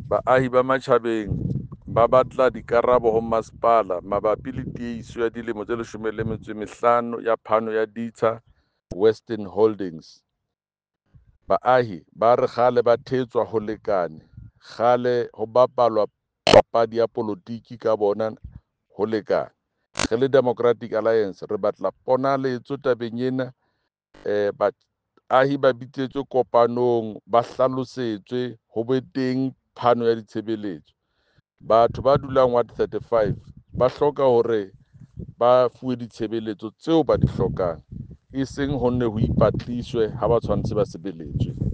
Baahi ba Matjhabeng ba batla dikarabo ho masepala mabapi le tiehiso ya dilemo tse 15 ya phano ya ditsha Western Holdings. Baahi ba re kgale ba thetswa ho lekane, kgale ho bapalwa papadi ya polotiki ka bona ho lekane. Re le Democratic Alliance re batla ponaletso tabeng ena, baahi ba bitsetswe kopanong, ba hlalosetswe ho be teng phano ya ditshebeletso. Batho ba dulang ward 35 ba hloka hore ba fuwe ditshebeletso tseo ba di hlokang, e seng ho nne ho ipatliswe ha ba tshwanetse ba sebeletswe.